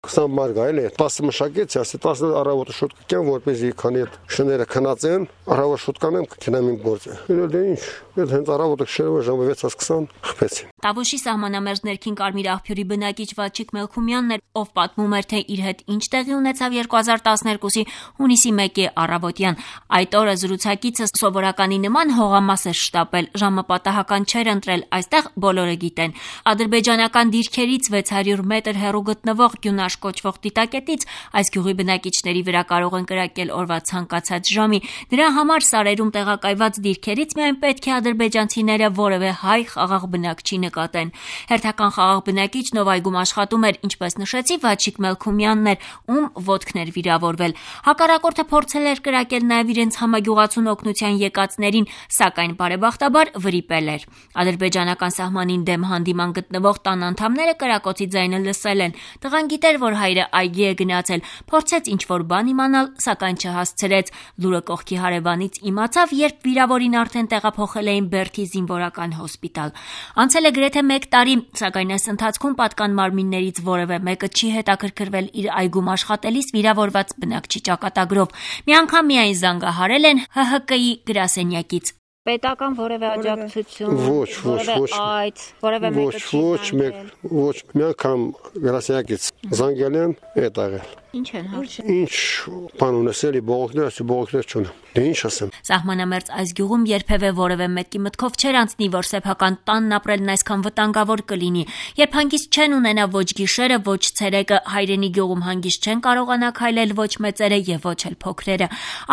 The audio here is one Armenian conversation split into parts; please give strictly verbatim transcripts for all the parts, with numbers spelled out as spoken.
քսան մար գայել է տասը մշակեց, ասի տասը առավոտը շուտ կգամ, որպեսզի քանի այդ շները քնած են, առավոտ շուտ կանեմ կգնամ իմ գործը։ Դե ինչ, այդ հենց առավոտը շերվը ժամը վեց քսան խփեցին։ Տավուշի սահմանամերձ ներքին Կարմիր աղբյուրի բնակիչ Վաչիկ Մելքումյանն էր, ով պատմում էր, թե իր հետ ինչ տեղի ունեցավ երկու հազար տասներկուսի հունիսի մեկի առավոտյան։ Այդ օրը զրուցակիցը սովորականի նման հողամաս էր շտապել, ժամը պատահական չէր ընտրել, այստեղ բոլորը գիտեն։ Ադրբեջանական դիրքերից վեց հարյուր մետր հեռու գտնվող Գյունաշ կոչվող դիտակետից այս գյուղի բնակիչների վրա կարող են կրակել օրվա ցանկացած ժամի։ Դրա համար սարերում տեղակայված դիրքերից միայն պետք է ադրբեջանցիները որևէ հայ խաղաղ բնակչի նկատեն։ Հերթական խաղաղ բնակիչն, ով այգում աշխատում էր, ինչպես նշեցի, Վաչիկ Մելքումյանն էր, ում ոտքն էր վիրավորվել։ Հակառակորդը փորձել էր կրակել նաև իրենց համագյուղացուն օգնության եկածներին, սակայն բարեբախտաբար վրիպել էր։ Ադրբեջանական սահմանին դեմ հանդիման գտնվող տան անդամները կրակոցի ձայնը լսել են։ Տղան գիտեր, որ հայրը այգի է գնացել, փորձեց ինչ-որ բան իմանալ, սակայն չհասցրեց։ Լուրը կողքի հարևանից իմացավ, երբ վիրավորին արդեն տեղափոխել էին Բերդի զինվորական հոսպիտալ։ Անցել է գրեթե մեկ տարի, սակայն այս ընթացքում պատկան մարմիններից որևէ մեկը չի հետաքրքրվել իր այգում աշխատելիս վիրավորված բնակչի ճակատագրով։ Մի անգամ միայն զանգահարել են Հ Հ Կ-ի գրասենյակից։ Պետական որևէ աջակցություն, Ոչ, ոչ, ոչ, այդ, որևէ մեկը չի ոչ, մեկ, ոչ, մի անգամ գրասենյակից զանգել են, այդ աղել։ Ինչ են հարցնում։ Ինչ բան ունեցել, բողոքներ, ասի բողոքներ չունեմ։ Դե ինչ ասեմ։ Սահմանամերձ այս գյուղում երբևէ որևէ մեկի մտքով չէր անցնի, որ սեփական տանն ապրելն այսքան վտանգավոր կլինի։ Երբ հանգիստ չեն ունենա ոչ գիշերը, ոչ ցերեկը, հայրենի գյուղում հանգիստ չեն կարողանա քայլել ոչ մեծերը եւ ոչ էլ փոքրերը։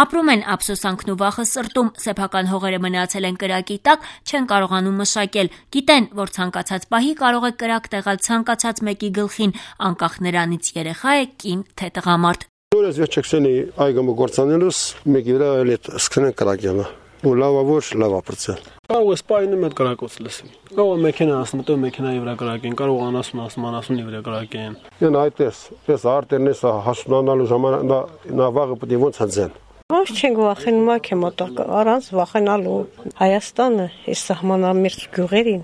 Ապրում են ափսոսանքն ու վախը սրտում, սեփական հողերը մնացել են կրակի տակ, չեն կարողանում մշակել։ Գիտեն, որ ցանկացած պահի կարող է կրակ տեղալ ցանկացած մեկի գլխին, անկախ նրանից երեխա է, կին թե տղամարդ։ Նորից վերջացնի այգամը գործանելուս մեկի վրա էլ սկսեն կրակյանը։ Ու լավա ոչ, լավա պրծել։ Կարող է սպայնում այդ կրակոց լսի։ Կարող է մեքենա ասում, մտով մեքենայի վրա կրակեն, կարող անասուն ասում, անասունի վրա կրակեն։ Են այդպես, այս արտերն էս հասունանալու ժամանակ նա վաղը պետք է ոնց հնձեն։ Ոչ չենք վախենում ակ է մոտակ, առանց վախենալու Հայաստանը այս սահմանամերձ գյուղերին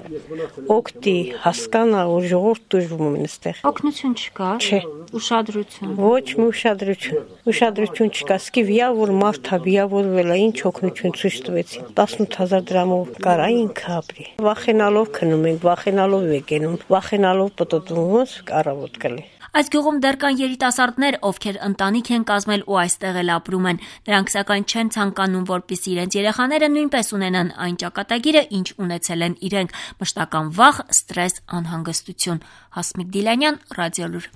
օգտի հասկանա ու ժողովուրդ դժվում են այստեղ։ Օգնություն չկա։ Չէ։ Ուշադրություն։ Ոչ մի ուշադրություն։ Ուշադրություն չկա։ Սկի վիավոր մարդ է, վիավորվել է, ինչ օգնություն ցույց տվեցին։ տասնութ հազար դրամով կարա ինքը ապրի։ Վախենալով քնում ենք, վախենալով եկենում, վախենալով պտտվում ոնց առավոտ կլի։ Այս գյուղում դեռ կան երիտասարդներ, ովքեր ընտանիք են կազմել ու այստեղ էլ ապրում են։ Նրանք սակայն չեն ցանկանում, որպեսզի իրենց երեխաները նույնպես ունենան այն ճակատագիրը, ինչ ունեցել են իրենք՝ մշտական վախ, ստրես, անհանգստություն։ Հասմիկ Դիլանյան, Ռադիոլուր։